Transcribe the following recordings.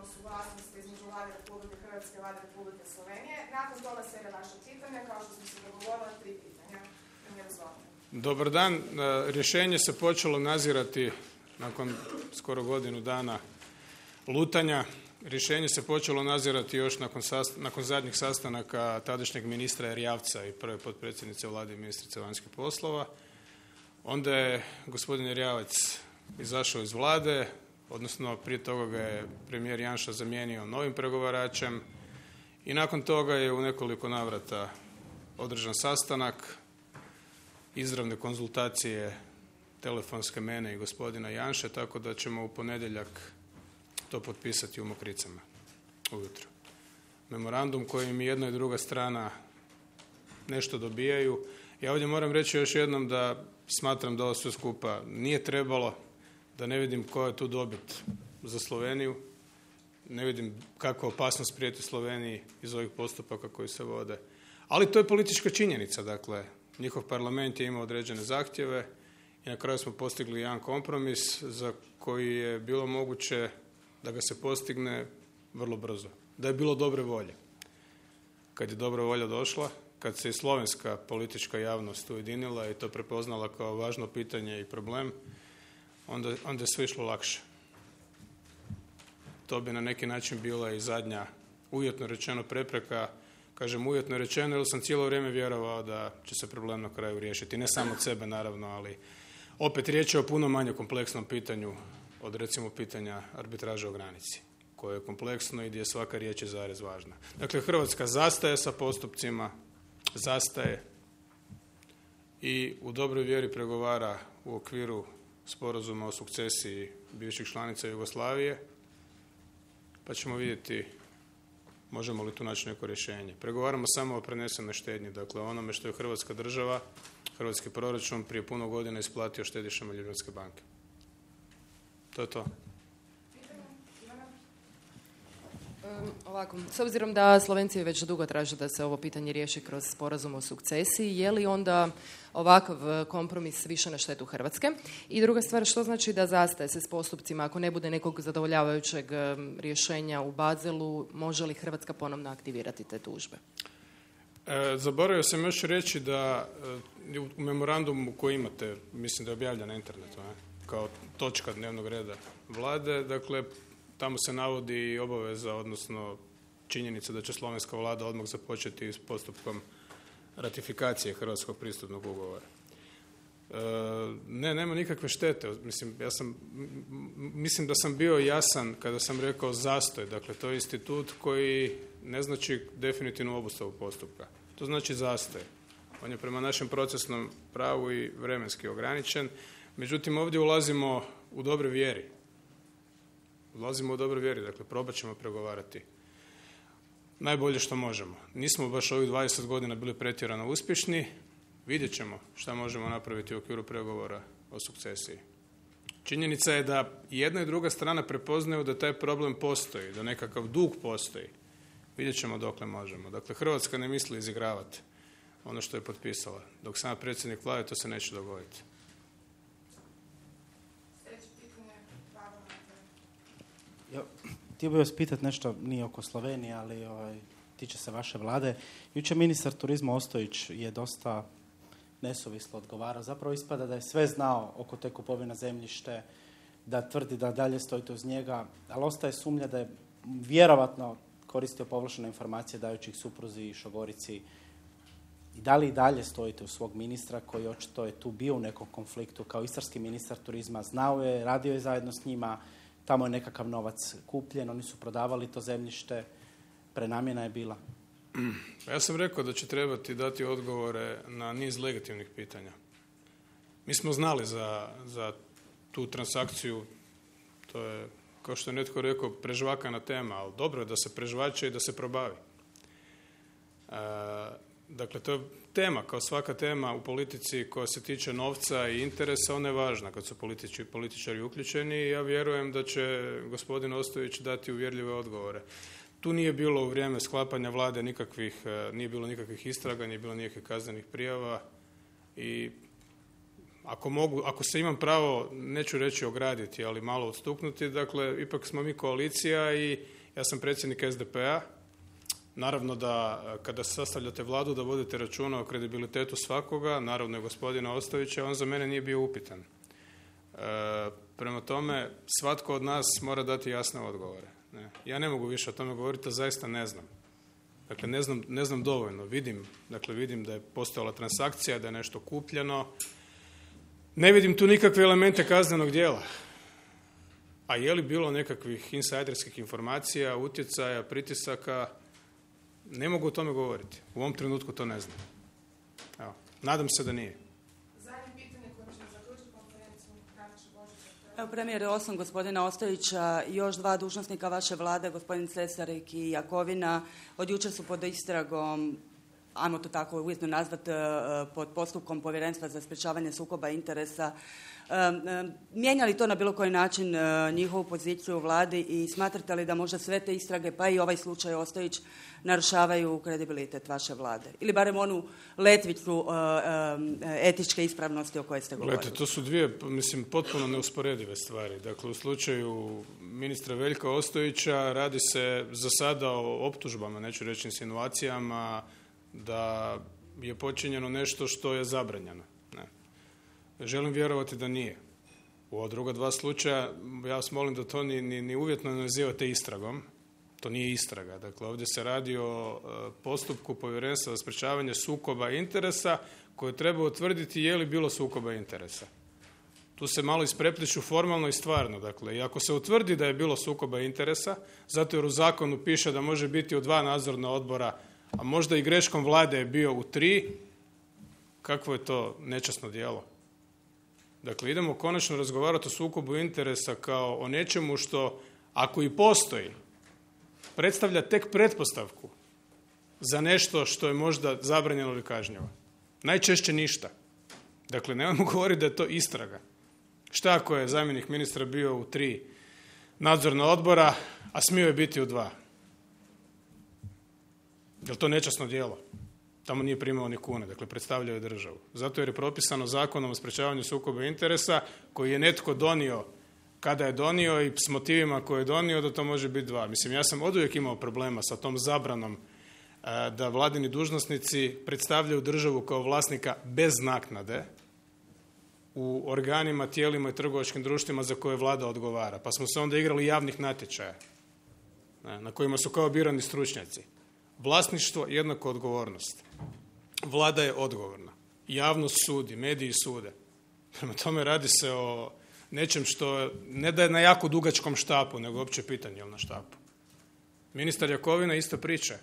sporazum o suglasnosti između Vlade Republike Hrvatske i Vlade Republike Slovenije. Nakon toga slijede vaša pitanja, kao što smo se dogovorili, 3 pitanja. Dobar dan. Rješenje se počelo nazirati nakon skoro godinu dana lutanja. Rješenje se počelo nazirati još nakon zadnjih sastanaka tadašnjeg ministra Erjavca i prve potpredsjednice Vlade i ministrice vanjskih poslova. Onda je gospodin Erjavec izašao iz Vlade, odnosno prije toga ga je premijer Janša zamijenio novim pregovaračem i nakon toga je u nekoliko navrata održan sastanak, izravne konzultacije telefonske mene i gospodina Janše, tako da ćemo u ponedjeljak to potpisati u Mokricama ujutro. Memorandum kojim jedna i druga strana nešto dobijaju. Ja ovdje moram reći još jednom da smatram da ovo sve skupa nije trebalo, da ne vidim koja je tu dobit za Sloveniju, ne vidim kakva opasnost prijeti Sloveniji iz ovih postupaka koji se vode. Ali to je politička činjenica, dakle, njihov parlament je imao određene zahtjeve i na kraju smo postigli jedan kompromis za koji je bilo moguće da ga se postigne vrlo brzo. Da je bilo dobre volje. Kad je dobra volja došla, kad se i slovenska politička javnost ujedinila i to prepoznala kao važno pitanje i problem, onda je sve išlo lakše. To bi na neki način bila i zadnja, uvjetno rečeno, prepreka. Kažem uvjetno rečeno jer sam cijelo vrijeme vjerovao da će se problem na kraju riješiti. Ne samo od sebe naravno, ali opet riječ je o puno manje kompleksnom pitanju od recimo pitanja arbitraže o granici, koje je kompleksno i gdje svaka riječ je zarez važna. Dakle, Hrvatska zastaje sa postupcima, zastaje i u dobroj vjeri pregovara u okviru sporazuma o sukcesiji bivših članica Jugoslavije, pa ćemo vidjeti možemo li tu naći neko rješenje. Pregovaramo samo o prenesenoj štednji, dakle onome što je Hrvatska država, hrvatski proračun prije puno godina isplatio štedišama Ljubljanske banke. To je to. Ovako, s obzirom da Slovenci već dugo traže da se ovo pitanje riješi kroz sporazum o sukcesiji, je li onda ovakav kompromis više na štetu Hrvatske? I druga stvar, što znači da zastaje se s postupcima ako ne bude nekog zadovoljavajućeg rješenja u Bazelu, može li Hrvatska ponovno aktivirati te tužbe? Zaboravio sam još reći da u memorandumu koji imate, mislim da je objavljen na internetu, kao točka dnevnog reda Vlade, dakle, tamo se navodi i obaveza, odnosno činjenica da će slovenska vlada odmah započeti s postupkom ratifikacije Hrvatskog pristupnog ugovora. Nema nikakve štete. Mislim da sam bio jasan kada sam rekao zastoj. Dakle, to je institut koji ne znači definitivnu obustavu postupka. To znači zastoj. On je prema našem procesnom pravu i vremenski ograničen. Međutim, ovdje ulazimo u dobre vjeri. Dakle, probat ćemo pregovarati najbolje što možemo. Nismo baš ovih 20 godina bili pretjerano uspješni, vidjet ćemo šta možemo napraviti u okviru pregovora o sukcesiji. Činjenica je da jedna i druga strana prepoznaju da taj problem postoji, da nekakav dug postoji. Vidjet ćemo dokle možemo. Dakle, Hrvatska ne misli izigravati ono što je potpisala. Dok sam predsjednik Vlade, to se neće dogoditi. Htio bih vas pitati nešto, nije oko Slovenije, ali tiče se vaše vlade. Jučer ministar turizma Ostojić je dosta nesuvislo odgovarao. Zapravo ispada da je sve znao oko te kupovine zemljište, da tvrdi da dalje stojite uz njega, ali ostaje sumnja da je vjerovatno koristio povlaštene informacije dajući ih supruzi i šogorici. I da li i dalje stojite uz svog ministra koji očito je tu bio u nekom konfliktu kao istarski ministar turizma, znao je, radio je zajedno s njima, tamo je nekakav novac kupljen, oni su prodavali to zemljište, prenamjena je bila. Ja sam rekao da će trebati dati odgovore na niz legitimnih pitanja. Mi smo znali za tu transakciju, to je, kao što je netko rekao, prežvakana tema, ali dobro je da se prežvače i da se probavi. Dakle, to je tema, kao svaka tema u politici koja se tiče novca i interesa, ona je važna kad su političari uključeni i ja vjerujem da će gospodin Ostojić dati uvjerljive odgovore. Tu nije bilo u vrijeme sklapanja vlade nije bilo nikakvih istraga, nije bilo nikakvih kaznenih prijava i ako se imam pravo, neću reći ograditi, ali malo odstuknuti, dakle, ipak smo mi koalicija i ja sam predsjednik SDP-a. Naravno da kada sastavljate vladu da vodite računa o kredibilitetu svakoga, naravno i gospodina Ostojića, on za mene nije bio upitan. Prema tome, svatko od nas mora dati jasne odgovore. Ne? Ja ne mogu više o tome govoriti, a zaista ne znam. Dakle, ne znam dovoljno. Vidim da je postojala transakcija, da je nešto kupljeno. Ne vidim tu nikakve elemente kaznenog djela. A je li bilo nekakvih insajderskih informacija, utjecaja, pritisaka? Ne mogu o tome govoriti. U ovom trenutku to ne znam. Evo, nadam se da nije. Zadnje pitanje koje ćemo zaključiti konferenciju Nataša Božića. Evo, premijer, osim gospodina Ostojića, još 2 dužnosnika vaše vlade, gospodin Cesarik i Jakovina, od jučer su pod istragom, ajmo to tako uvjetno nazvati, pod postupkom Povjerenstva za sprječavanje sukoba interesa. Mijenja li to na bilo koji način njihovu poziciju u vladi i smatrate li da možda sve te istrage, pa i ovaj slučaj Ostojić, narušavaju kredibilitet vaše vlade? Ili barem onu letvicu etičke ispravnosti o kojoj ste govorili? Gledajte, to su dvije, potpuno neusporedive stvari. Dakle, u slučaju ministra Veljka Ostojića radi se za sada o optužbama, neću reći insinuacijama, da je počinjeno nešto što je zabranjeno. Ne. Želim vjerovati da nije. U ova druga 2 slučaja, ja vas molim da to ni uvjetno ne nazivate istragom. To nije istraga. Dakle, ovdje se radi o postupku Povjerenstva za sprječavanje sukoba interesa koje treba utvrditi je li bilo sukoba interesa. Tu se malo isprepliču formalno i stvarno. Dakle, i ako se utvrdi da je bilo sukoba interesa, zato jer u zakonu piše da može biti u 2 nadzorna odbora, a možda i greškom vlade je bio u 3, kakvo je to nečasno djelo? Dakle, idemo konačno razgovarati o sukobu interesa kao o nečemu što, ako i postoji, predstavlja tek pretpostavku za nešto što je možda zabranjeno ili kažnjivo. Najčešće ništa. Dakle, nemojmo govoriti da je to istraga. Šta ako je zamjenik ministra bio u 3 nadzorna odbora, a smio je biti u 2? Je li to nečasno djelo? Tamo nije primao ni kune, dakle predstavljao je državu. Zato jer je propisano Zakonom o sprječavanju sukoba interesa koji je netko donio kada je donio i s motivima koje je donio da to može biti 2. Ja sam oduvijek imao problema sa tom zabranom da vladini dužnosnici predstavljaju državu kao vlasnika bez naknade u organima, tijelima i trgovačkim društvima za koje vlada odgovara. Pa smo se onda igrali javnih natječaja na kojima su kao birani stručnjaci. Vlasništvo jednako odgovornost. Vlada je odgovorna. Javnost sudi, mediji sude. Prema tome radi se o nečem što ne da je na jako dugačkom štapu, nego opće pitanje je li na štapu. Ministar Jakovina ista priča.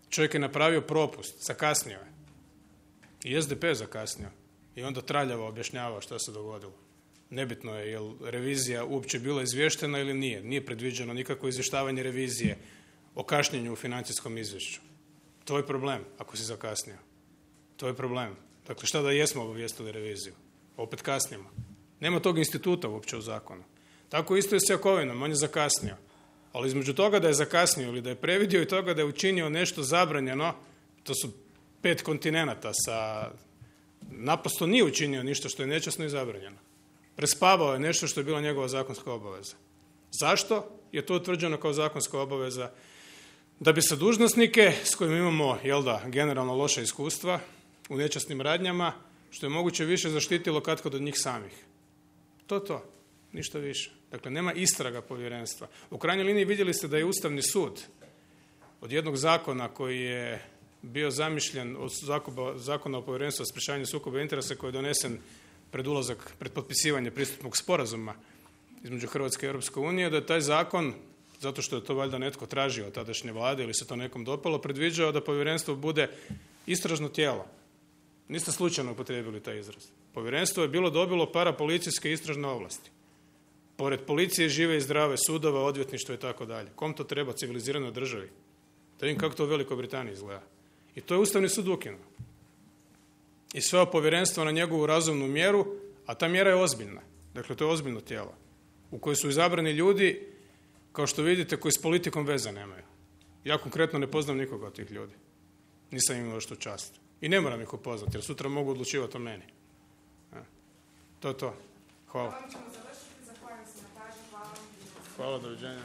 Čovjek je napravio propust, zakasnio je. I SDP je zakasnio. I onda traljavo objašnjavao što se dogodilo. Nebitno je je li revizija uopće bila izvještena ili nije. Nije predviđeno nikakvo izvještavanje revizije o kašnjenju u financijskom izvješću. To je problem ako si zakasnio. To je problem. Dakle, šta da jesmo obavijestili reviziju? Opet kasnimo. Nema tog instituta uopće u zakonu. Tako isto je s Jakovinom, on je zakasnio. Ali između toga da je zakasnio ili da je previdio i toga da je učinio nešto zabranjeno, to su 5 kontinenata sa... Naprosto nije učinio ništa što je nečasno i zabranjeno. Prespavao je nešto što je bila njegova zakonska obaveza. Zašto je to utvrđeno kao zakonska obaveza? Da bi se dužnosnike s kojima imamo, generalno loša iskustva u nečasnim radnjama, što je moguće više zaštitilo katkad od njih samih. To. Ništa više. Dakle, nema istraga povjerenstva. U krajnjoj liniji vidjeli ste da je Ustavni sud od jednog zakona koji je bio zamišljen od Zakona o povjerenstvu za sprječavanje sukoba interesa koji je donesen pred potpisivanje pristupnog sporazuma između Hrvatske i Europske unije, da je taj zakon, zato što je to valjda netko tražio od tadašnje vlade ili se to nekom dopalo, predviđao da povjerenstvo bude istražno tijelo. Niste slučajno upotrijebili taj izraz. Povjerenstvo je bilo dobilo parapolicijske istražne ovlasti. Pored policije žive i zdrave sudova, odvjetništva i tako dalje. Kom to treba civiliziranoj državi? Da vidim kako to u Velikoj Britaniji izgleda. I to je Ustavni sud ukinuo. I sveo povjerenstvo na njegovu razumnu mjeru, a ta mjera je ozbiljna. Dakle, to je ozbiljno tijelo u kojoj su izabrani ljudi, kao što vidite, koji s politikom veze nemaju. Ja konkretno ne poznam nikoga od tih ljudi. Nisam imao što čast. I ne moram ih upoznati, jer sutra mogu odlučivati o meni. To je to. Hvala. Hvala, ćemo završiti. Zahvaljujem se na pažnji. Hvala. Hvala, doviđenja.